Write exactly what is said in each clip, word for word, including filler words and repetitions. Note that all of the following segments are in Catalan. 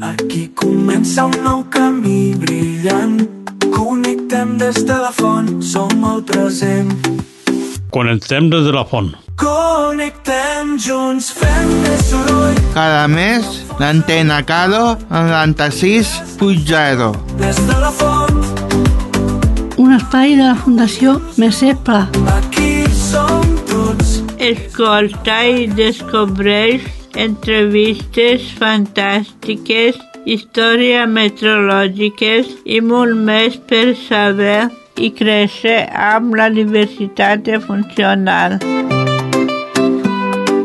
Aquí comença un nou camí brillant. Connectem des de la font, som el present. Connectem des de la font. Connectem junts, fem més soroll. Cada mes, l'antena Caro, noranta-sis punt zero. Des de la font. Un espai de la Fundació Mercè Pla. Aquí som tots. Escolta i descobreix entrevistes fantàstiques, històries meteorològiques i molt més per saber i créixer amb la diversitat funcional.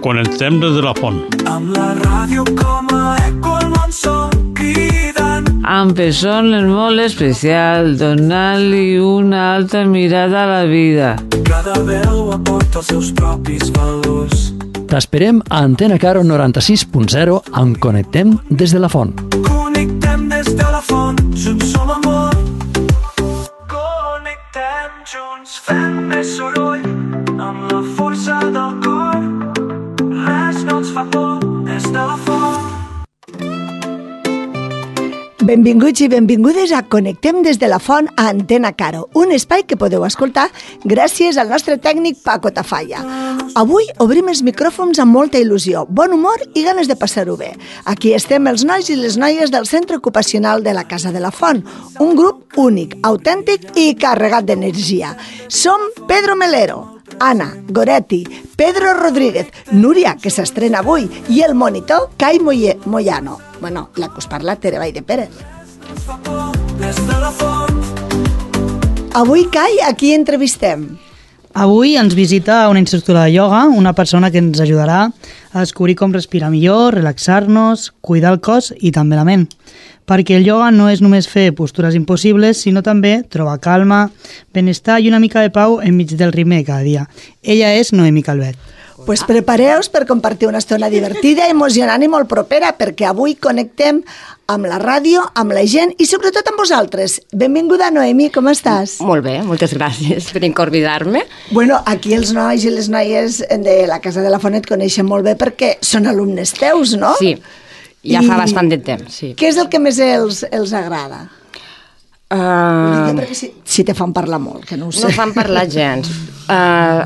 Connectem des de la font. Amb la ràdio com a eco al món som cridant. Amb persones molt especial, donant-li una altra mirada a la vida. Cada veu aporta els seus propis valors. T'esperem a Antena Caro noranta-sis punt zero amb Connectem des de la font. Connectem des de la font, junts som amor. Connectem junts, fem més soroll. Amb la força del cor, res no ens fa por des de la font. Benvinguts i benvingudes a Connectem des de la font a Antena Caro, un espai que podeu escoltar gràcies al nostre tècnic Paco Tafalla. Avui obrim els micròfons amb molta il·lusió, bon humor i ganes de passar-ho bé. Aquí estem els nois i les noies del Centre Ocupacional de la Casa de la Font, un grup únic, autèntic i carregat d'energia. Som Pedro Melero, Anna Goretti, Pedro Rodríguez, Núria, que s'estrena avui, i el monitor Cai Moye, Moyano. Bueno, la que us parla, Tere Vall Pérez. Avui, Cai, a qui entrevistem? Avui ens visita una instructora de ioga, una persona que ens ajudarà a descobrir com respirar millor, relaxar-nos, cuidar el cos i també la ment. Perquè el ioga no és només fer postures impossibles, sinó també trobar calma, benestar i una mica de pau enmig del ritme de cada dia. Ella és Noemi Calvet. Pues prepareu-vos per compartir una estona divertida, emocionant i molt propera, perquè avui connectem amb la ràdio, amb la gent i sobretot amb vosaltres. Benvinguda, Noemi, com estàs? Molt bé, moltes gràcies per convidar-me. Bueno, aquí els nois i les noies de la Casa de la Font et coneixen molt bé perquè són alumnes teus, no? Sí, ja I fa bastant de temps, sí. Què és el que més els, els agrada? Uh... Perquè si, si te fan parlar molt, que no ho sé. No fan parlar gens. Uh,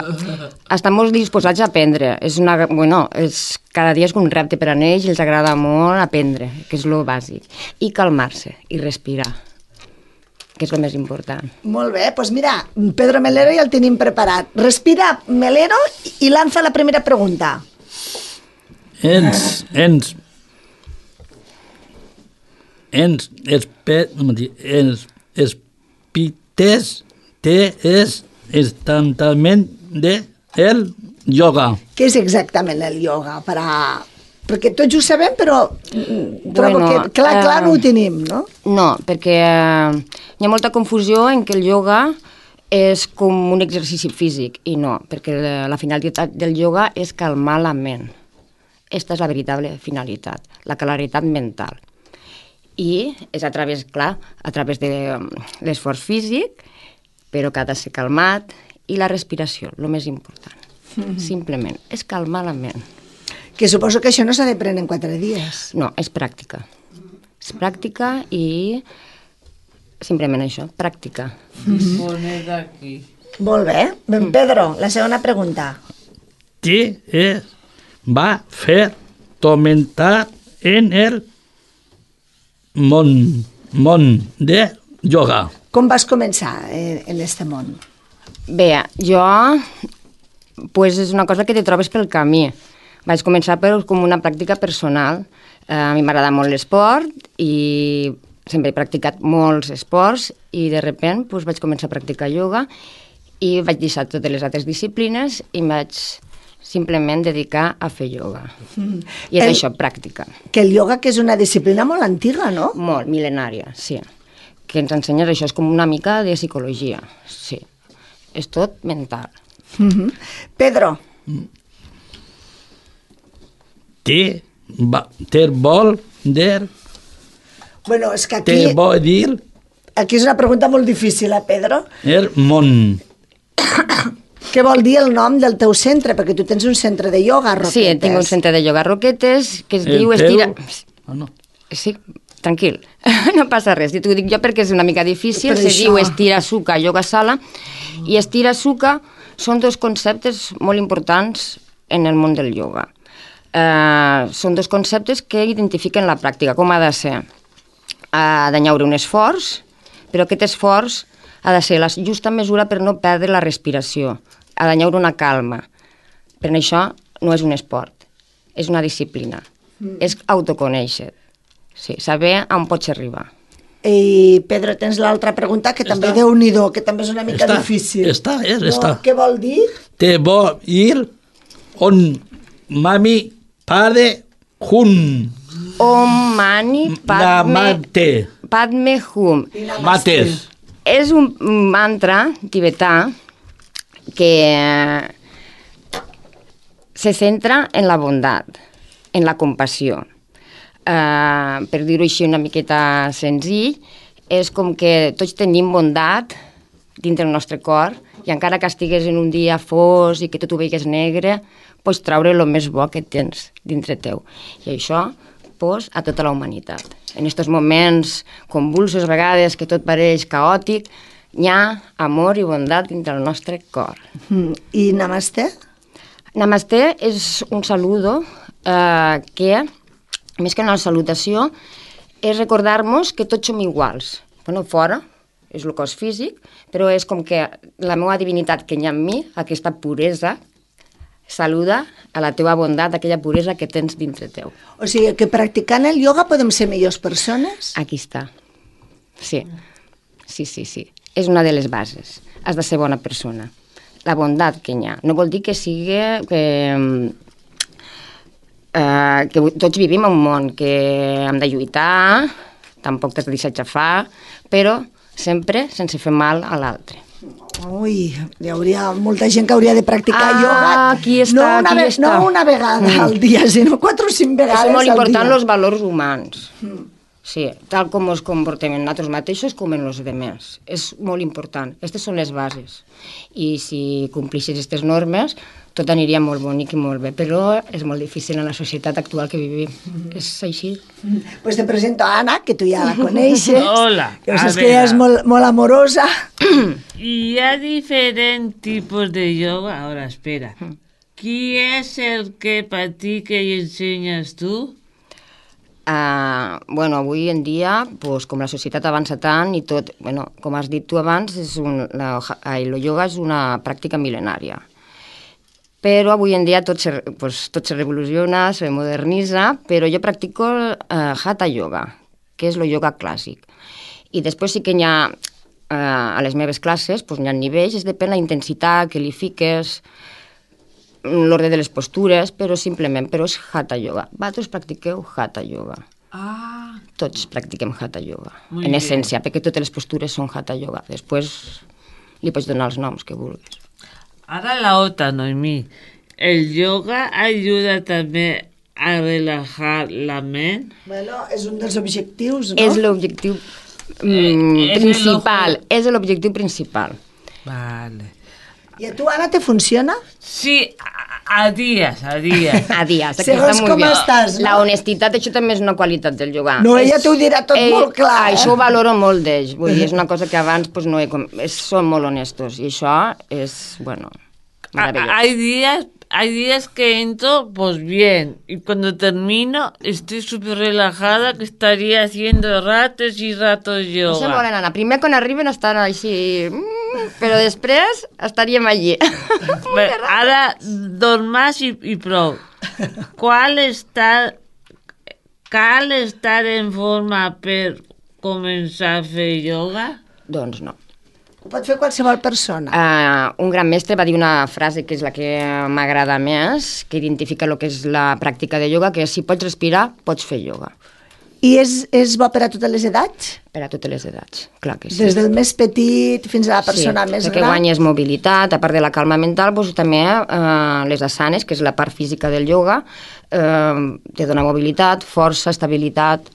estan molt disposats a aprendre. És una, bueno, és, cada dia és un repte per a ells i els agrada molt aprendre, que és el bàsic. I calmar-se, i respirar, que és el més important. Molt bé, doncs mira, Pedro Melero ja el tenim preparat. Respira, Melero, i lanza la primera pregunta. Ens, ens, ens, espe, ens, espites, te és instantament de el yoga. Què és exactament el yoga? Per a... Perquè tots ho sabem, però trobo bueno, que clar, clar eh, no ho tenim, no? No, perquè eh, hi ha molta confusió en que el yoga és com un exercici físic, i no, perquè la finalitat del yoga és calmar la ment. Aquesta és la veritable finalitat, la claritat mental. I és a través, clar, a través de l'esforç físic, però que ha de ser calmat, i la respiració, el més important. Mm-hmm. Simplement, és calmar la ment. Que suposo que això no s'ha de prendre en quatre dies. No, és pràctica. És pràctica i simplement això, pràctica. Mm-hmm. Molt més d'aquí. Molt bé. Ben Pedro, la segona pregunta. Què és va fer comentar en el món, món de yoga? Com vas començar en, en este món? Bé, jo, pues és una cosa que te trobes pel camí. Vaig començar per, com una pràctica personal. Eh, a mi m'agrada molt l'esport i sempre he practicat molts esports i de sobte pues, vaig començar a practicar ioga i vaig deixar totes les altres disciplines i em vaig simplement dedicar a fer ioga. Mm. I és el, això, pràctica. Que el ioga que és una disciplina molt antiga, no? Molt, mil·lenària, sí. Que ens ensenyes això, és com una mica de psicologia, sí. És tot mental. Mm-hmm. Pedro. Què va, te vol dir? Bueno, és que aquí... Te vol dir? Aquí és una pregunta molt difícil, eh, Pedro? El món. Què vol dir el nom del teu centre? Perquè tu tens un centre de ioga a Roquetes. Sí, tinc un centre de ioga a Roquetes que es el diu teu... Estira... Oh, no. Sí, tranquil, no passa res. T'ho dic jo perquè és una mica difícil. Per Se això. diu estira suca, yoga sala, i estira suca són dos conceptes molt importants en el món del ioga. Uh, són dos conceptes que identifiquen la pràctica, com ha de ser. Ha d'enllaure un esforç, però aquest esforç ha de ser la justa mesura per no perdre la respiració. Ha d'enllaure una calma. Per això no és un esport, és una disciplina. Mm. És autoconèixer. Sí, saber on pots arribar. I Pedro, tens l'altra pregunta, que també Està. Déu-n'hi-do, que també és una mica Està, difícil. està, és, no, està. Què vol dir? Te voy ir on mami padre hun. Om Mani Padme, Namate. Padme Hum. Mates. És un mantra tibetà que se centra en la bondat, en la compassió. Uh, per dir-ho així una miqueta senzill, és com que tots tenim bondat dintre el nostre cor i encara que estigues en un dia fos i que tot ho veigues negre, pots treure el més bo que tens dintre teu. I això pues, a tota la humanitat. En aquests moments convulsos, a vegades que tot pareix caòtic, hi ha amor i bondat dintre el nostre cor. Mm. I Namaste? Namaste és un saludo eh, que, més que una salutació, és recordar-nos que tots som iguals. Bueno, fora és el cos físic, però és com que la meva divinitat que hi ha en mi, aquesta puresa, saluda a la teva bondat, aquella puresa que tens dintre teu. O sigui, que practicant el ioga podem ser millors persones? Aquí està. Sí, sí, sí, sí. És una de les bases. Has de ser bona persona. La bondat que hi ha. No vol dir que sigui... que, eh, que tots vivim en un món que hem de lluitar, tampoc t'has de deixar xafar, però sempre sense fer mal a l'altre. Ui, hi hauria molta gent que hauria de practicar Ah, ioga. aquí està, no una aquí ve- està. No una vegada Mm. al dia, sinó quatre o cinc vegades És molt al important dia. els valors humans. Mm. Sí, tal com ens comportem en nosaltres mateixos com en els demés. És molt important. Aquestes són les bases. I si complixes aquestes normes, tot aniria molt bonic i molt bé, però és molt difícil en la societat actual que vivim. Mm. És així. Pues te presento a Ana, que tu ja la coneixes. Hola, Que a saps que veure. ella és molt, molt amorosa. Y hay diferentes tipos de yoga. Ahora, espera. ¿Quién es el que practica y enseñas tú? Uh, bueno, avui en dia, pues, com la societat avança tant i tot, bueno, com has dit tu abans, és un, la, el yoga és una pràctica mil·lenària. Però avui en dia tot se, pues, tot se revoluciona, se modernitza, però jo practico uh, Hatha Yoga, que és el yoga clàssic. I després sí que hi ha, uh, a les meves classes, pues, hi ha nivells, és depèn la intensitat que li fiques, l'ordre de les postures, però simplement, però és Hatha Yoga. Vosaltres practiqueu Hatha Yoga. Ah. Tots practiquem Hatha Yoga, Muy en bien. essència, perquè totes les postures són Hatha Yoga. Després li pots donar els noms que vulguis. Ahora la otra, Noemí. ¿El yoga ayuda también a relajar la mente? Bueno, és un dels objectius, no? És l'objectiu mm, Eh, és principal, el ojo. és l'objectiu principal. Vale. I a tu, Anna, te funciona? Sí, a, a días, a días. A dies, aquí Segons està molt com bé. estàs, no? La honestitat, això també és una qualitat del yoga. No, ella És- t'ho dirà tot molt clar, eh? Això ho valoro molt d'ells, vull dir, és una cosa que abans pues, no he... com- És, són molt honestos, i això és, bueno, A- meravellós. hay días, hay días que entro, pues bien, y cuando termino estoy súper relajada, que estaría haciendo ratos y ratos No sé molt, yoga. nana. Primer, quan arriben, estan així... mm, però després estaríem allí. Bé, ara, dos más y, y prou. ¿Cuál está, cal estar en forma per començar a fer yoga? Doncs no. Ho pot fer qualsevol persona. Uh, un gran mestre va dir una frase que és la que m'agrada més, que identifica el que és la pràctica de yoga, que és si pots respirar, pots fer yoga. I és, és bo per a totes les edats? Per a totes les edats, clar que sí. Des del més petit fins a la persona sí, més perquè gran? guanyes mobilitat, a part de la calma mental, doncs també eh, les asanes, que és la part física del yoga, eh, te dona mobilitat, força, estabilitat.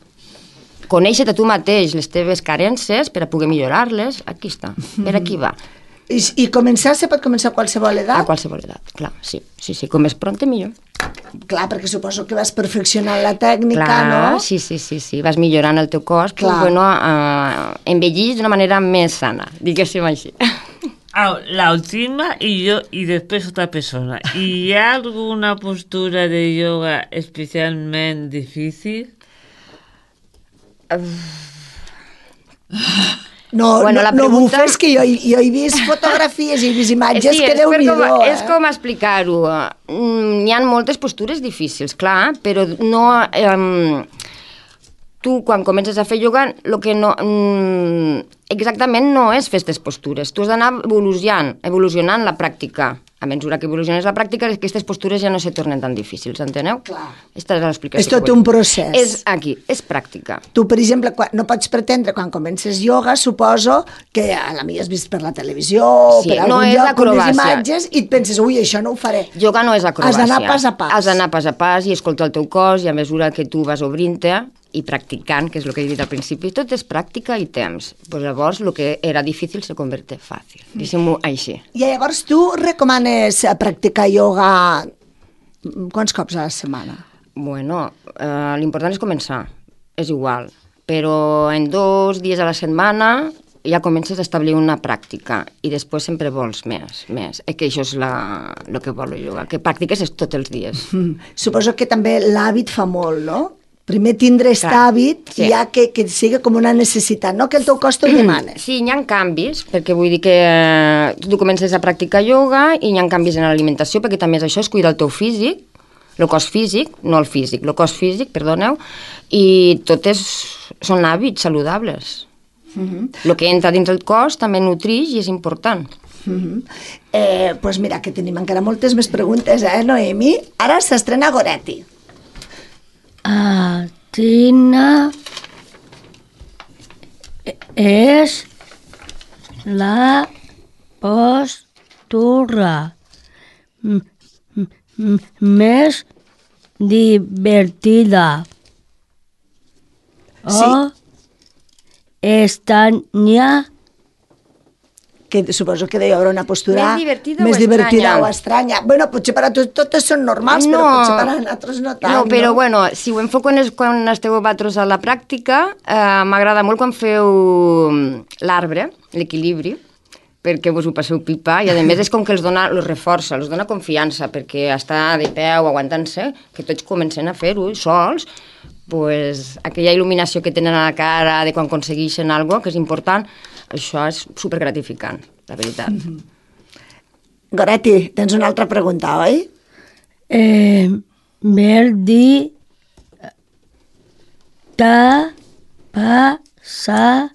Conèixer a tu mateix les teves carències per a poder millorar-les, aquí està, per aquí va. I, I començar se pot començar a qualsevol edat? A qualsevol edat, clar, sí, sí, sí, com més pront millor. Clar, perquè suposo que vas perfeccionant la tècnica, Clar, no? sí, sí, sí, sí, vas millorant el teu cos, Clar. pues, bueno, uh, envellís d'una manera més sana, diguéssim així. Ah, la última y yo y después otra persona. ¿Y hay alguna postura de yoga especialmente difícil? No, Bueno, no, la no pregunta- bufes, que jo, jo he vist fotografies i he vist imatges sí, que és, déu per nhi com, eh? és com explicar-ho. Mm, Hi ha moltes postures difícils, clar, però no... Eh, tu, quan comences a fer yoga, el que no... Mm, exactament no és fer aquestes postures. Tu has d'anar evolucionant, evolucionant la pràctica. A mesura que evoluciones la pràctica, aquestes postures ja no se tornen tan difícils, enteneu? Clar. Esta és l'explicació. És tot que vull un dir. procés. És aquí, és pràctica. Tu, per exemple, quan, no pots pretendre, quan comences yoga, suposo que a la millor has vist per la televisió o Sí, per no algun és lloc unes acrobàcia. imatges i et penses, ui, això no ho faré. Yoga no és acrobàcia. Has d'anar pas a pas. Has d'anar pas a pas i escoltar el teu cos i a mesura que tu vas obrint-te i practicant, que és el que he dit al principi, tot és pràctica i temps. Pues llavors, el que era difícil se converte fàcil. Diguem-ho així. I llavors tu recomanes eh, practicar yoga quants cops a la setmana? Bueno, eh, l'important és començar, és igual. Però en dos dies a la setmana ja comences a establir una pràctica i després sempre vols més, més. Eh, que això és la, el que vol el yoga, que practiques és tots els dies. Mm. Suposo que també l'hàbit fa molt, no? Primer tindre aquest Clar, hàbit sí. i ja que, que sigui com una necessitat, no que el teu cos te'l demana. Sí, hi ha canvis, perquè vull dir que eh, tu comences a practicar yoga i hi ha canvis en l'alimentació, perquè també és això, és cuidar el teu físic, el cos físic, no el físic, el cos físic, perdoneu, i tot és, són hàbits saludables. Uh-huh. El que entra dins el cos també nutrix i és important. Uh-huh. eh, pues mira, que tenim encara moltes més preguntes, eh, Noemi? Ara s'estrena Goretti. Atina és la postura m- m- més divertida. Sí. O estranya. Que suposo que deu haver una postura Més divertida més o divertida estranya? o estranya. Bueno, potser per a tu totes són normals, No. però potser per a nosaltres no tant. No, però bueno, si ho enfoco en es, quan esteu vosaltres a la pràctica, eh, m'agrada molt quan feu l'arbre, l'equilibri, perquè vos ho passeu pipa, i a més és com que els dona, els reforça, els dona confiança, perquè estar de peu, aguantant-se, que tots comencen a fer-ho sols, pues, aquella il·luminació que tenen a la cara de quan aconsegueixen alguna cosa, que és important, això és supergratificant, la veritat. Mm-hmm. Goretti, tens una altra pregunta, oi? Eh, vol dir t'ha passat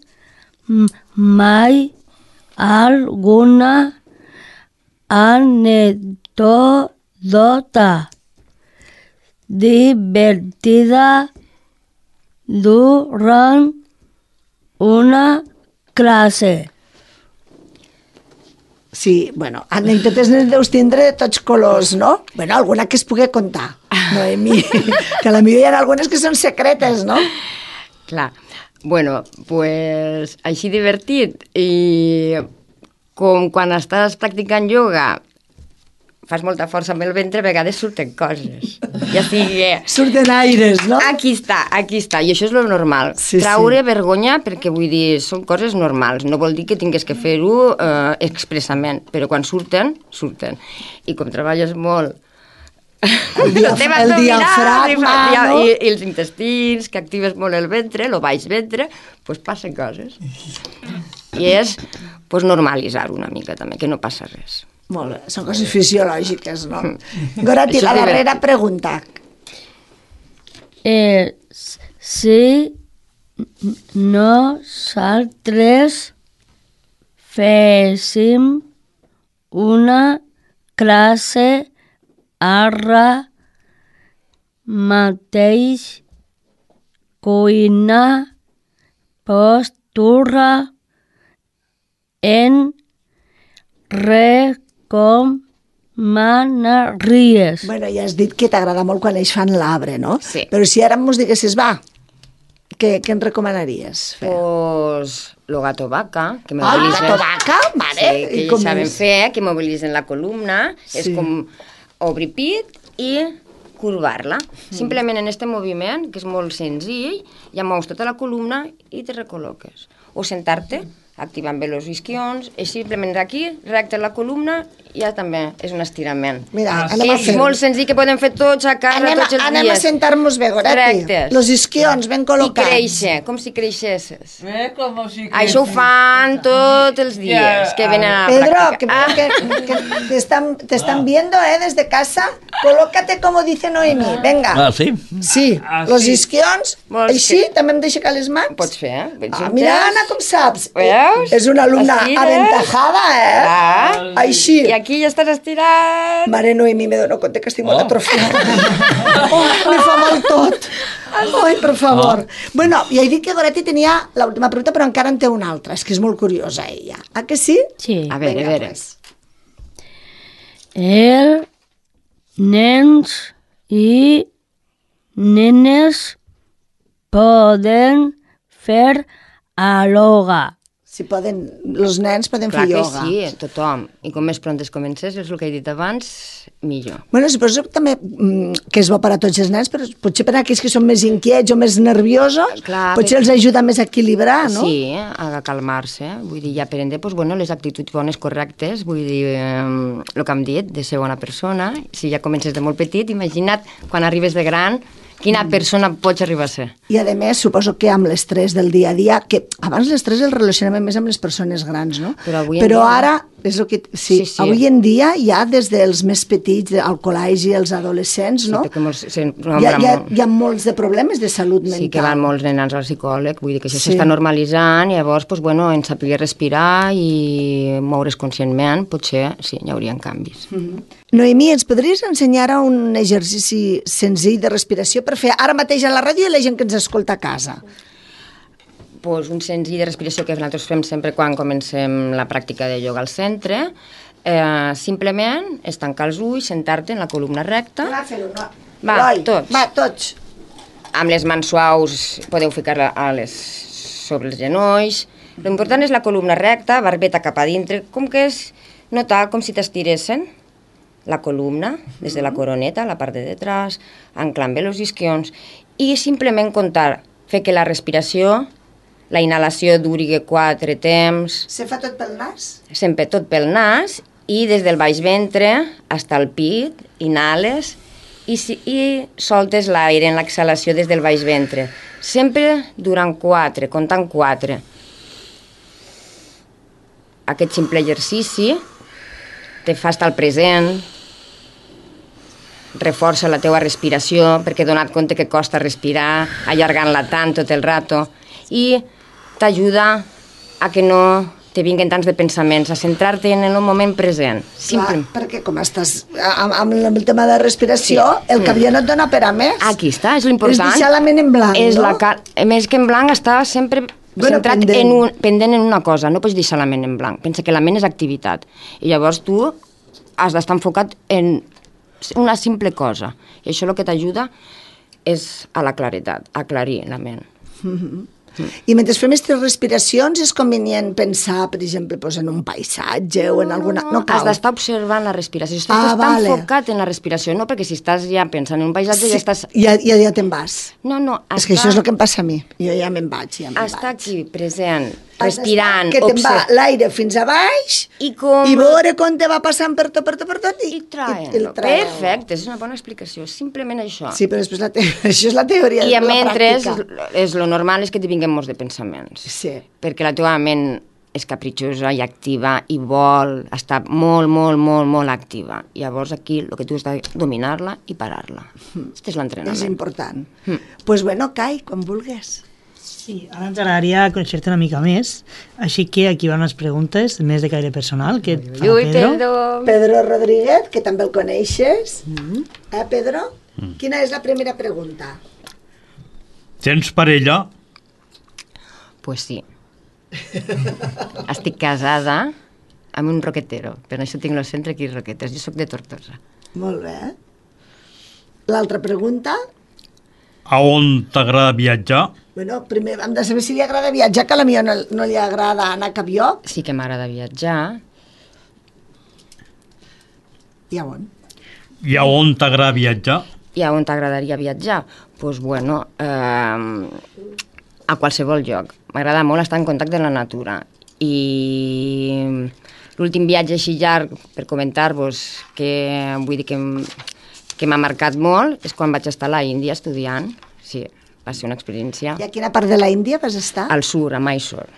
m- mai alguna anècdota divertida durant una classe? Sí, bueno, anècdotes ne deus tindre de tots colors, no? Bueno, alguna que es pugui contar, Noemi, que a la millor hi ha algunes que són secretes, no? Clar. Bueno, pues així divertit i com quan estàs practicant yoga fas molta força amb el ventre, a vegades surten coses. Ja sigui... Surten aires, no? Aquí està, aquí està, i això és lo normal. Sí, Traure sí. vergonya, perquè vull dir, són coses normals, no vol dir que tingues que fer-ho eh, expressament, però quan surten, surten. I com treballes molt El, dia, la teva el abdominal, diafragma, i, no? i, i els intestins, que actives molt el ventre, el baix ventre, doncs pues passen coses. I és pues, normalitzar una mica també, que no passa res. Molt bé, són coses fisiològiques, no? Goretti, la darrera pregunta. Eh, si nosaltres féssim una classe ara mateix, cuina, postura, en recomanaries. Bueno, ja has dit que t'agrada molt quan ells fan l'arbre, no? Sí. Però si ara mos diguessis, va, què, què ens recomanaries fer? Pues lo gato vaca, que Ah, mobilitzen... gato vaca? Vale. Sí, que I ells com saben és? fer, que mobilitzen la columna, Sí. és com obrir pit i curvar-la. Simplement en este moviment, que és molt senzill, ja mous tota la columna i te recol·loques. O sentar-te, activant bé els isquions, i simplement aquí, recte la columna, ja també és un estirament. Mira, anem a és fer-ho. molt senzill, que podem fer tots a casa, Anem, tots els anem dies. a sentar-nos bé, Goretti. Rectes. Los isquions ben I col·locats. créixer, com si creixesses. Eh, com si Això ho fan tots els dies, que venen a la Pedro, que, pràctica. que, que te, están, te están viendo, ¿eh? Desde casa. Colócate como dice Noemí. Venga. Ah, sí? Sí, Ah, los sí. isquions. Vols Així, que- també em deixa que les mans. Pots fer, eh? Ah, mira, Anna, com saps? Veus? És una alumna Estires. aventajada, eh? Ah. Així. I aquí ja estàs estirat. Mare Noemí, me dono compte que estic molt Oh. atrofiada. Oh, me fa mal tot. Ai, per favor. Bueno, ja he dit que Goretti tenia l'última pregunta, però encara en té una altra. És que és molt curiosa, ella. Ah, que sí? Sí. A veure, Vinga, a veure. pues. El nens i nenes poden fer ioga. Si poden, els nens poden Clar fer que ioga. sí, tothom. I com més pront es comences, és el que he dit abans, millor. Bueno, suposo també mm, que és bo per a tots els nens, però potser per a aquells que són més inquiets o més nerviosos, Clar, potser perquè- els ajuda més a equilibrar, no? Sí, a calmar-se. Vull dir, i aprendre pues, bueno, les actituds bones correctes, vull dir, eh, el que hem dit, de ser bona persona. Si ja comences de molt petit, imagina't quan arribes de gran, quina Mm. persona pots arribar a ser. I a més, suposo que amb l'estrès del dia a dia, que abans l'estrès el relacionàvem més amb les persones grans, no? Però avui en Però dia- ara, és el que... Sí, Sí, sí. avui en dia ja des dels més petits, al col·legi, els adolescents, no? Sí, perquè molts, se, Hi ha, hi, ha, hi ha molts de problemes de salut mental. Sí, que van molts nens al psicòleg, vull dir que això Sí. s'està normalitzant, i llavors, pues, bueno, en saber respirar i moure's conscientment, potser sí, hi haurien canvis. Mm-hmm. Noemí, ens podries ensenyar ara un exercici senzill de respiració per fer ara mateix a la ràdio i la gent que ens escolta a casa? Pues un senzill de respiració que nosaltres fem sempre quan comencem la pràctica de ioga al centre, eh, simplement és tancar els ulls, sentar-te en la columna recta. Va, fer-ho, no? Va, Eloi, tots. Va, tots. Amb les mans suaus podeu ficar-la a les, sobre els genolls. L'important és la columna recta, barbeta cap a dintre, com que és notar com si t'estiressen la columna, des de la coroneta, la part de detrás, anclant bé els isquions, i simplement comptar, fer que la respiració, la inhalació duri quatre temps, Se fa tot pel nas? sempre tot pel nas, i des del baix ventre fins al pit, inhales, i, si, i soltes l'aire en l'exhalació des del baix ventre. Sempre durant quatre, comptant quatre. Aquest simple exercici te fa estar al present, reforça la teua respiració, perquè he donat compte que costa respirar, allargant-la tant tot el rato, i t'ajuda a que no te vinguen tants de pensaments, a centrar-te en el moment present. Simple. Clar, perquè com estàs amb, amb el tema de respiració, sí. el cap ja no et dona per a més. Aquí està, és l'important. És deixar la ment en blanc, és no? La cal... Més que en blanc, està sempre Bueno, centrat pendent. en un, pendent en una cosa, no pots deixar la ment en blanc. Pensa que la ment és activitat. I llavors tu has d'estar enfocat en una simple cosa. I això el que t'ajuda és a la claretat, a aclarir la ment. Mm-hmm. I mentre fem aquestes respiracions és convenient pensar, per exemple, doncs, en un paisatge o en alguna... No, cal. Has d'estar observant la respiració. Estàs Ah, d'estar vale. enfocat en la respiració, no? Perquè si estàs ja pensant en un paisatge Sí, ja estàs... ja, ja, ja te'n vas. No, no, És que això és el que em passa a mi. Jo ja me'n vaig, ja me'n vaig. Està aquí, present, Has respirant, d'estar que te'n va observ- l'aire fins a baix I com... i veure com te va passant per tot, per tot, per tot i, I traient. i el traient. Perfecte, és una bona explicació, és simplement això. Sí, però després la te... això és la teoria, I a la mentre, pràctica. és, és lo normal és que te vinguen molts de pensaments. Sí. Perquè la teva ment és capritxosa i activa i vol estar molt, molt, molt, molt activa. I llavors aquí el que tu has de dominar-la i parar-la. Aquest és l'entrenament. És important. Doncs mm. pues bueno, Kai, quan vulguis. Sí, ara ens agradaria conèixer-te una mica més, així que aquí van unes preguntes més de caire personal que et fa Ui, Pedro. Pedro. Pedro Rodríguez, que també el coneixes. Mm. Eh, Pedro? Mm. Quina és la primera pregunta? Tens parella? Pues sí. Estic casada amb un roquetero, per això tinc el centre aquí Roquetes. Jo sóc de Tortosa. Molt bé. L'altra pregunta? A on t'agrada viatjar? Bueno, primer hem de saber si li agrada viatjar, que a la meva no, no li agrada anar a cap lloc. Sí que m'agrada viatjar. I a on? I a on t'agrada viatjar? I a on t'agradaria viatjar? Doncs, pues, bueno, eh, a qualsevol lloc. M'agrada molt estar en contacte amb la natura. I l'últim viatge així llarg, per comentar-vos, que vull dir que, que m'ha marcat molt, és quan vaig estar a l'Índia estudiant. Sí, va ser una experiència. I a quina part de la Índia vas estar? Al sur, a Mysore.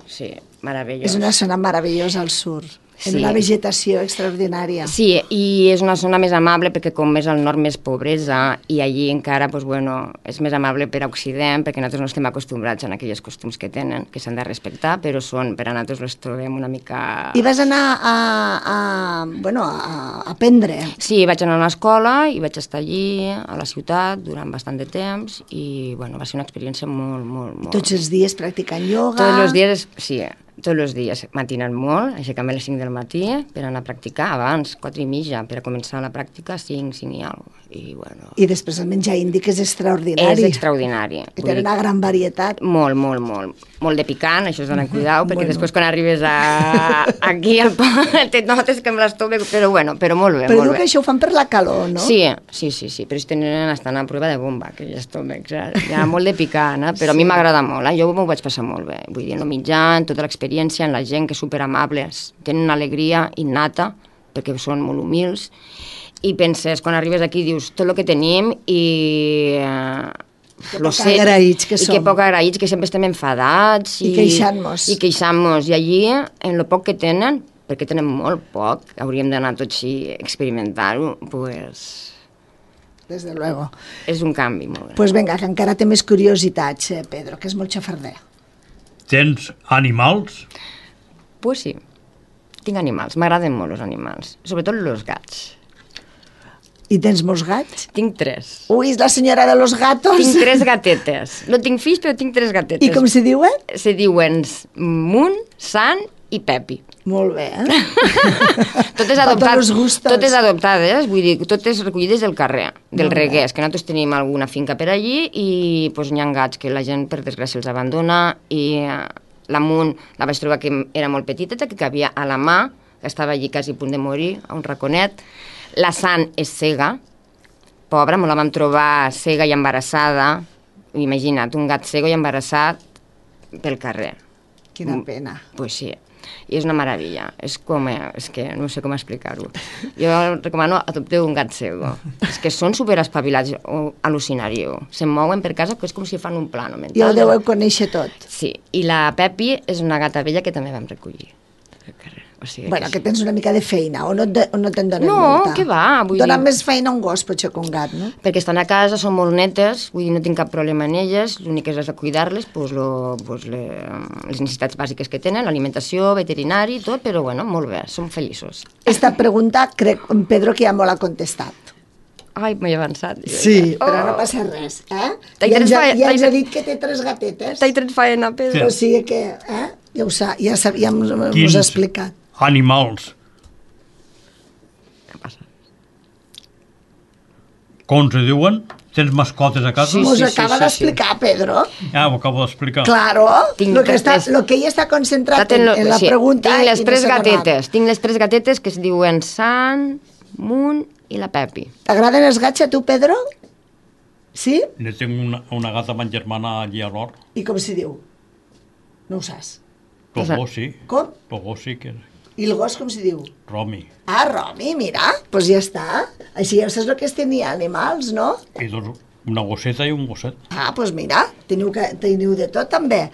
Sí, meravellós. És una zona meravellosa al sur. En Sí. una vegetació extraordinària. Sí, i és una zona més amable perquè com més al nord més pobresa i allí encara pues, bueno, és més amable per a Occident perquè nosaltres no estem acostumbrats a aquells costums que tenen, que s'han de respectar, però són, per a nosaltres les trobem una mica... I vas anar a, a, bueno, a, a aprendre? Sí, vaig anar a l'escola i vaig estar allí, a la ciutat, durant bastant de temps i bueno, va ser una experiència molt, molt, molt... Tots els dies practicant ioga? Tots els dies, sí, tots els dies, matinant molt, aixecant-me a les cinc del matí per anar a practicar, abans, quatre i mitja, per a començar la pràctica, cinc, cinc i alguna cosa. I, bueno, I després el menjar indi, que és extraordinari. és extraordinari. Que té una gran varietat. Molt, molt, molt. Molt de picant, això és d'anar amb cuidau, perquè Bueno. després quan arribes a, aquí al poble te notes que amb l'estómac, però bueno, però molt bé, Però molt diu bé. que això ho fan per la calor, no? Sí, sí, sí, sí, però estan, estan a prova de bomba, aquells estómacs, eh? Hi ha molt de picant, eh? Però a mi Sí. m'agrada molt, eh? Jo m'ho vaig passar molt bé, vull dir, en el mitjà, en tota l'experiència, en la gent que és superamables, tenen una alegria innata, perquè són molt humils, i penses, quan arribes aquí, dius, tot el que tenim i... Eh, Que lo poc sé, agraïts que i som. que poc agraïts, que sempre estem enfadats I queixant-nos. i queixant-nos, i allí en lo poc que tenen, perquè tenen molt poc, hauríem d'anar tots i experimentar-ho, pues, Desde luego. és un canvi molt gran. Pues vinga, que encara té més curiositats, eh, Pedro, que és molt xafarder. Tens animals? Pues sí, tinc animals, m'agraden molt els animals, sobretot els gats. I tens molts gats? Tinc tres. Ui, és la senyora de los gatos. Tinc tres gatetes. No tinc fills, però tinc tres gatetes. I com se diuen? Se diuen Moon, San i Pepi. Molt bé, eh? Totes, Pa adoptat, tots los gustos. totes adoptades, vull dir, totes recollides del carrer, del Molt bé. Reguers, que nosaltres tenim alguna finca per allí i pues, hi ha gats que la gent, per desgràcia, els abandona i eh, la Moon la vaig trobar que era molt petiteta, que cabia a la mà, que estava allí quasi a punt de morir, a un raconet. La San és cega, pobra, me la vam trobar cega i embarassada. Imagina't, un gat cego i embarassat pel carrer. Quina pena. Pues sí, i és una meravella. És com, eh, és que no sé com explicar-ho. Jo recomano adopteu un gat cego. És que són superespavilats, o al·lucinaríeu. Se'n mouen per casa, que és com si fan un plano mental. I el deveu conèixer tot. Sí, i la Pepi és una gata vella que també vam recollir. O sigui Bueno, que que tens una mica de feina, o no, te, o no te'n donen No, molta. què va, vull Dona dir- més feina un gos, potser, que un gat, no? perquè estan a casa, són molt netes, vull dir, no tinc cap problema en elles, l'únic que és de cuidar-les, pues, lo, pues, le, les necessitats bàsiques que tenen, l'alimentació, veterinari, tot, però bueno, molt bé, són feliços. Esta pregunta, crec, Pedro, que ja me l'ha contestat. Ai, m'he avançat. Sí, Oh. però no passa res, eh? T'he Ja ens, ha, tret- ja ens t'he ha dit que té tres gatetes. T'he tret faena, Pedro. O sigui que, eh? Ja ho sap, ja, sap, ja us Quins ha explicat. animals? Què passa? Com se diuen? Tens mascotes a casa? Sí, Mos sí, acaba sí, d'explicar, Pedro. Ah, ho acabo d'explicar. Claro, Tinc lo que, està, tres- lo que ella està concentrat Estat en, lo- en la sí, pregunta... Tinc les i no tres s'ha donat. gatetes, tinc les tres gatetes que es diuen San, Moon i la Pepi. T'agraden els gats a tu, Pedro? Sí? Ne tinc una, una gata amb germana allí a l'hort. I com se diu? No ho saps. El gos sí. Com? El gos sí que és I el gos com se diu? Romi. Ah, Romi, mira, doncs pues ja està. Així ja saps el que és tenir animals, no? I dos, una gosseta i un gosset. Ah, doncs pues mira, teniu, que, teniu de tot també.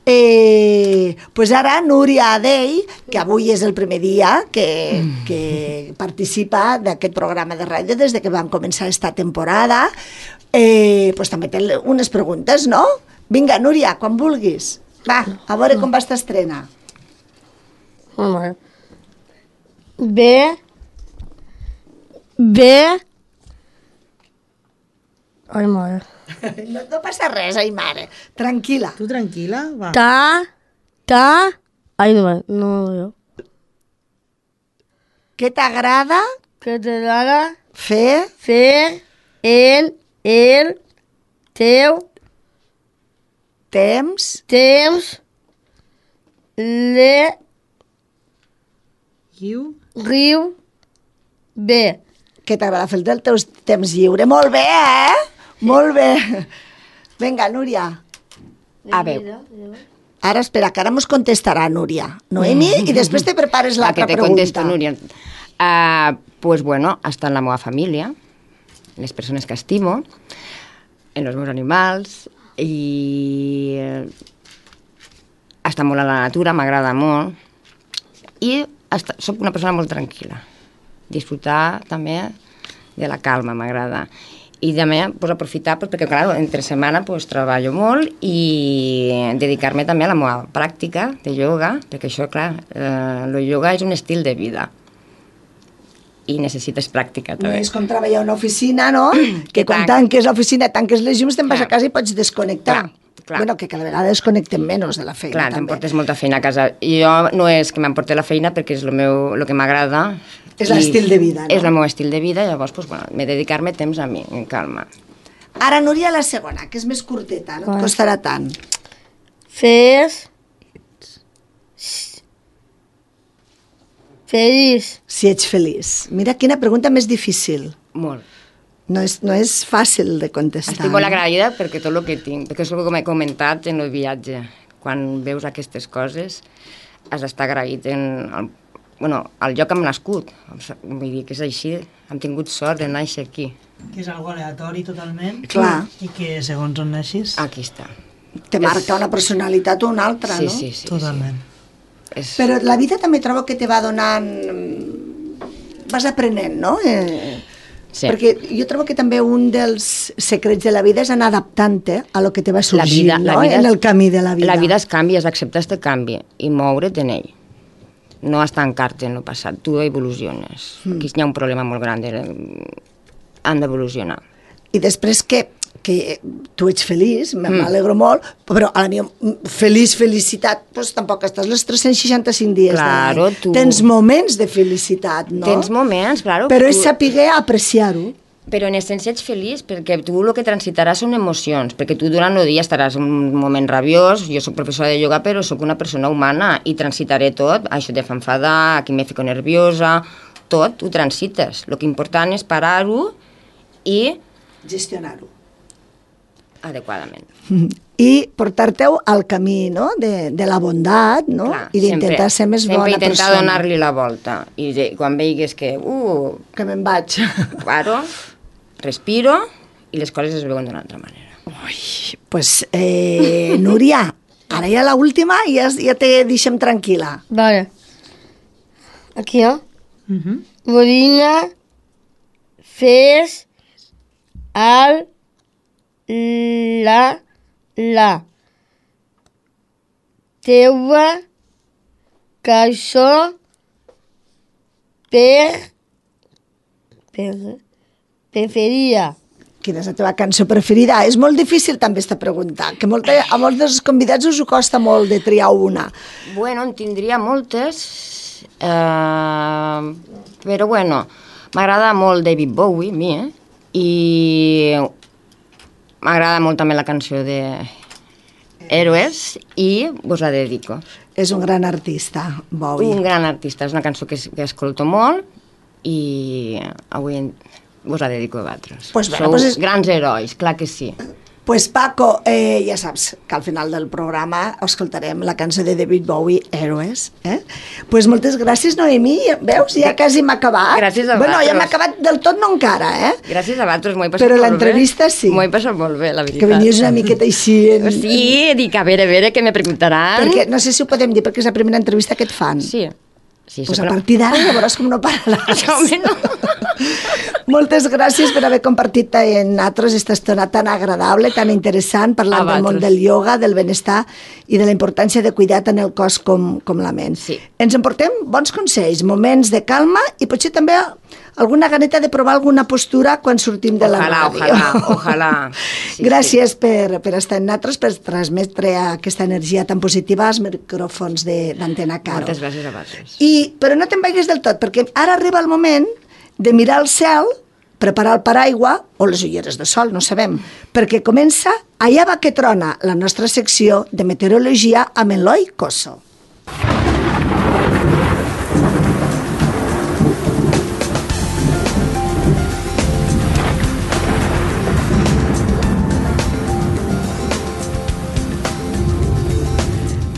Eh, pues ara Núria Adey, que avui és el primer dia que, que participa d'aquest programa de ràdio des de que vam començar esta temporada, eh, pues també té unes preguntes, no? Vinga, Núria, quan vulguis. Va, a veure com va esta estrena. Home. Bé. Bé. Ai, mare. No, no passa res, ai mare. Tranquil·la. Tu tranquil·la, va. Ta. Ta. Ai, no, no, no. Què t'agrada Que te dara fer fer en el teu temps temps le Guiu. riu bé. que t'agrada fer del teu temps lliure. Molt bé, eh? Molt bé. Vinga, Núria. A veure. Ara, espera, que ara mos contestarà Núria. Noemi, i després te prepares La l'altra que te pregunta. contesto, Núria. Uh, pues bueno, està en la meva família, les persones que estimo, en els meus animals, i eh, està molt a la natura, m'agrada molt, i està, soc una persona molt tranquil·la. Disfrutar també de la calma, m'agrada. I també pues, aprofitar, pues, perquè clar, entre setmana pues, treballo molt i dedicar-me també a la meva pràctica de ioga, perquè això, clar, eh, el ioga és un estil de vida i necessites pràctica No també. és com treballar a una oficina, no? Que quan tanques l'oficina, tanques les llums, te'n vas a casa i pots desconnectar. Clar, clar. Bueno, que cada vegada desconnectem menys de la feina, Clar, també. t'emportes molta feina a casa. Jo no és que m'emporte la feina perquè és el meu, el que m'agrada. És l'estil de vida, no? És el meu estil de vida, llavors, pues, bueno, m'he de dedicar-me temps a mi, en calma. Ara, Núria, la segona, que és més curteta, no et Vale. costarà tant. Fes... Feliç. Si ets feliç. Mira quina pregunta més difícil. Molt. No és, no és fàcil de contestar. Estic molt no? agraïda perquè tot el que tinc, perquè és el que m'he comentat en el viatge. Quan veus aquestes coses, has d'estar agraït en el, bueno, el lloc on hem nascut. Vull dir que és així, hem tingut sort de néixer aquí. Que és algo aleatori totalment. Clar. I que segons on neixis... Aquí està. Te marca una personalitat o una altra, Sí, no? sí, sí. Totalment. És... Però la vida també trobo que te va donant... Vas aprenent, no? Eh, Sí. Perquè jo trobo que també un dels secrets de la vida és anar adaptant-te a lo que te va sorgint, La vida, no? la vida, en el camí de la vida. La vida es canvia, és acceptar este canvi i moure't en ell. No estancar-te en el passat, tu evoluciones. Mm. Aquí hi ha un problema molt gran, de... han d'evolucionar. I després que, que tu ets feliç, Mm. m'alegro molt, però a la meva feliç, felicitat, doncs tampoc estàs les tres-cents seixanta-cinc dies Claro, de l'any. tu- Tens moments de felicitat, no? Tens moments, claro. Però tu- és saber apreciar-ho. Però en essència ets feliç perquè tu el que transitaràs són emocions, perquè tu durant el dia estaràs en un moment rabiós, jo soc professora de ioga però sóc una persona humana i transitaré tot, això te fa enfadar, aquí me fico nerviosa, tot ho transites. El que important és parar-ho i gestionar-ho adequadament. I portar-te-ho al camí, no?, de, de la bondat, no?, Clar, i d'intentar sempre- ser més sempre bona intentar persona. donar-li la volta i de, quan veigues que uh, que me'n vaig, paro, respiro i les coses es veuen d'una altra manera. Pues, eh, Núria, ara ja l'última i ja, ja te deixem tranquil·la. Vale. Aquí, ¿no? Uh -huh. Morina, fes, al, la, la. Teua, cançó, per, per, preferida. Quina és la teva cançó preferida? És molt difícil també esta pregunta, que molta, a molts dels convidats us ho costa molt de triar una. Bueno, en tindria moltes, eh, però bueno, m'agrada molt David Bowie, a mi, eh? I m'agrada molt també la cançó de Héroes i vos la dedico. És un gran artista, Bowie. Un gran artista, és una cançó que, que escolto molt i avui en- vos la dedico a vosaltres. Pues bé, Sou pues és- grans herois, clar que sí. Pues Paco, eh, ja saps que al final del programa escoltarem la cançó de David Bowie, Héroes. Eh? Pues moltes gràcies, Noemí. Veus? Ja quasi m'ha acabat. Gràcies a Bueno, ja vosaltres. m'ha acabat del tot, no encara, eh? Gràcies a vosaltres, m'ho he passat Però molt bé. l'entrevista sí. M'ho he passat molt bé, la veritat. Que venies una miqueta així... En... Sí, dic, a veure, a veure, què me preguntaran. Perquè, no sé si ho podem dir, perquè és la primera entrevista que et fan. Sí. Sí, pues això, a però- partir d'ara ja veuràs com no pararàs. Home, no. Moltes gràcies per haver compartit en nosaltres aquesta estona tan agradable, tan interessant, parlant A del món vosaltres. del ioga, del benestar i de la importància de cuidar tant el cos com, com la ment. Sí. Ens emportem bons consells, moments de calma i potser també alguna ganeta de provar alguna postura quan sortim de la Ojalà, ràdio. ojalà, ojalà. Sí, Gràcies per, per estar en nosaltres, per transmetre aquesta energia tan positiva als micròfons de- d'Antena Caro. Moltes gràcies a vosaltres. I, però no te'n vagis del tot, perquè ara arriba el moment de mirar el cel, preparar el paraigua o les ulleres de sol, no sabem, perquè comença Allà va que trona, la nostra secció de meteorologia amb Eloi Cosso.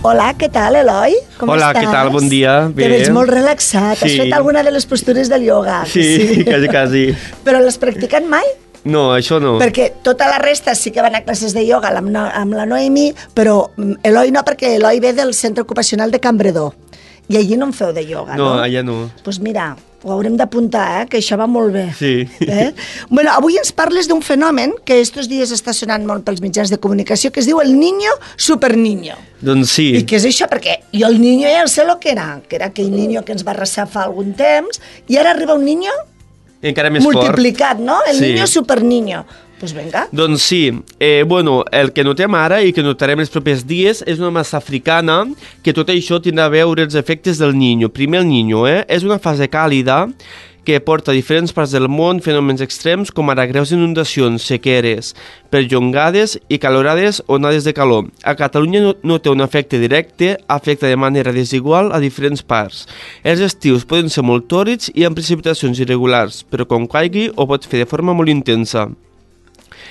Hola, què tal, Eloi? Com Hola, estàs? què tal? Bon dia. Te veig molt relaxat. Sí. Has fet alguna de les postures del ioga? Sí, sí, quasi, quasi. Però l'has practicat mai? No, això no. Perquè tota la resta sí que van a classes de ioga amb, no, amb la Noemi, però Eloi no, perquè Eloi ve del centre ocupacional de Cambredó. I allí no en feu de ioga, no? No, allà no. Doncs pues mira, ho haurem d'apuntar, eh? Que això va molt bé. Sí. Eh? Bueno, avui ens parles d'un fenomen que estos dies està sonant molt pels mitjans de comunicació, que es diu el niño superniño. Doncs sí. I què és això? Perquè jo el niño ja sé el que era, que era aquell niño que ens va arrasar fa algun temps, i ara arriba un niño encara més multiplicat, fort. no? El sí. niño superniño. Pues venga. Doncs sí, eh, bueno, el que notem ara i que notarem els propers dies és una massa africana que tot això tindrà a veure els efectes del niño. Primer el niño, eh? És una fase càlida que porta a diferents parts del món fenòmens extrems com ara greus inundacions, sequeres, perllongades i calorades onades de calor. A Catalunya no, no té un efecte directe, afecta de manera desigual a diferents parts. Els estius poden ser molt tòrids i amb precipitacions irregulars, però quan caigui ho pot fer de forma molt intensa.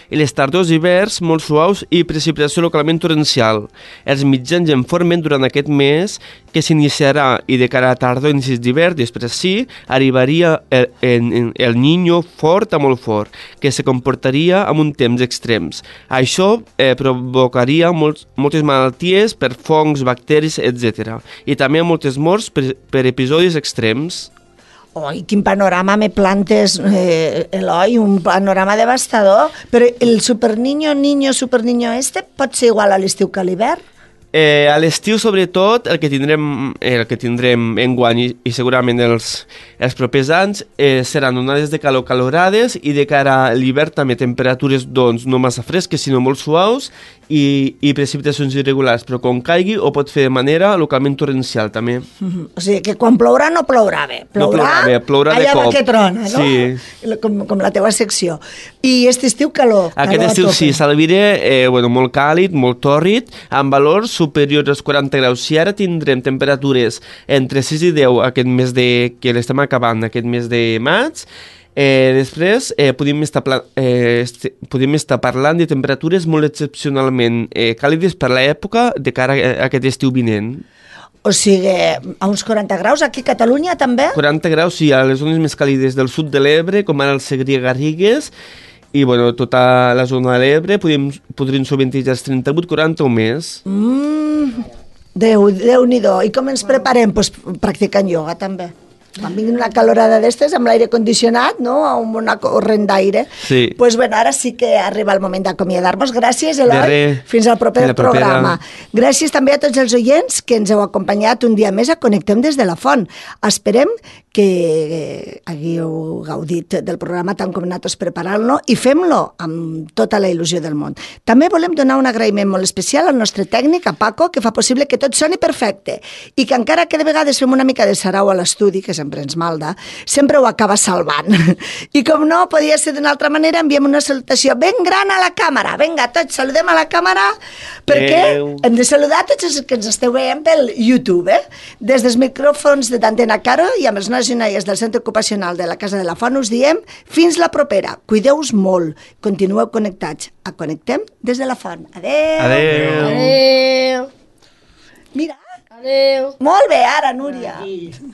I les tardors i hiverns molt suaus i precipitació localment torrencial. Els mitjans en formen durant aquest mes que s'iniciarà i de cara a tardor i inicis d'hivern, després sí, arribaria el, el, el niño fort a molt fort, que se comportaria amb un temps extrems. Això eh, provocaria molts, moltes malalties per fongs, bacteris, etcètera. I també moltes morts per, per episodis extrems. Oi, quin panorama me plantes, eh, Eloi, un panorama devastador. Però el superniño, niño, superniño este pot ser igual a l'estiu que a l'hivern? Eh, a l'estiu, sobretot, el que tindrem, el que tindrem enguany i, i segurament els, els propers anys eh, seran onades de calor calorades i de cara a l'hivern també temperatures doncs, no massa fresques, sinó molt suaus i, i precipitacions irregulars, però quan caigui ho pot fer de manera localment torrencial també. Mm-hmm. O sigui que quan plourà no plourà bé. Plourà, no plourà bé, plourà de allà cop. Allà que trona, no? Sí. Com, com la teva secció. I aquest estiu calor. Aquest calor estiu sí, s'alvira eh, bueno, molt càlid, molt tòrrid, amb valors superiors als quaranta graus. Si ara tindrem temperatures entre sis i deu aquest mes de, que l'estem acabant, aquest mes de maig, eh, després eh, podem, estar eh, podem estar parlant de temperatures molt excepcionalment eh, càlides per l'època de cara a aquest estiu vinent. O sigui, a uns quaranta graus, aquí a Catalunya també? quaranta graus, sí, a les zones més càlides del sud de l'Ebre, com ara el Segrià-Garrigues, i bueno, tota la zona de l'Ebre podríem, podrien sobrevindre els trenta-vuit quaranta o més. Mm, Déu, Déu-n'hi-do. I com ens preparem? Pues practicant ioga també. Quan vingui una calorada d'estes amb l'aire condicionat, no? Amb una corrent d'aire. Sí. Pues bueno, ara sí que arriba el moment d'acomiadar-nos. Gràcies, Eloi. Fins al proper Fins programa. Gràcies també a tots els oients que ens heu acompanyat un dia més a Connectem des de la Font. Esperem que hagueu gaudit del programa tant com nosaltres preparant-lo i fem-lo amb tota la il·lusió del món. També volem donar un agraïment molt especial al nostre tècnic, a Paco, que fa possible que tot soni perfecte i que encara que de vegades fem una mica de sarau a l'estudi, que sempre ens malda, sempre ho acaba salvant. I com no podia ser d'una altra manera, enviem una salutació ben gran a la càmera. Vinga, tots saludem a la càmera perquè Adeu. Hem de saludar tots els que ens esteu veient pel YouTube, eh? Des dels micròfons de d'Antena Caro i amb els nois i noies del Centre Ocupacional de la Casa de la Font us diem fins la propera. Cuideu-vos molt. Continueu connectats. A Connectem des de la Font. Adeu. Adeu. Adeu. Mira. Adeu. Molt bé, ara, Núria. Adeu.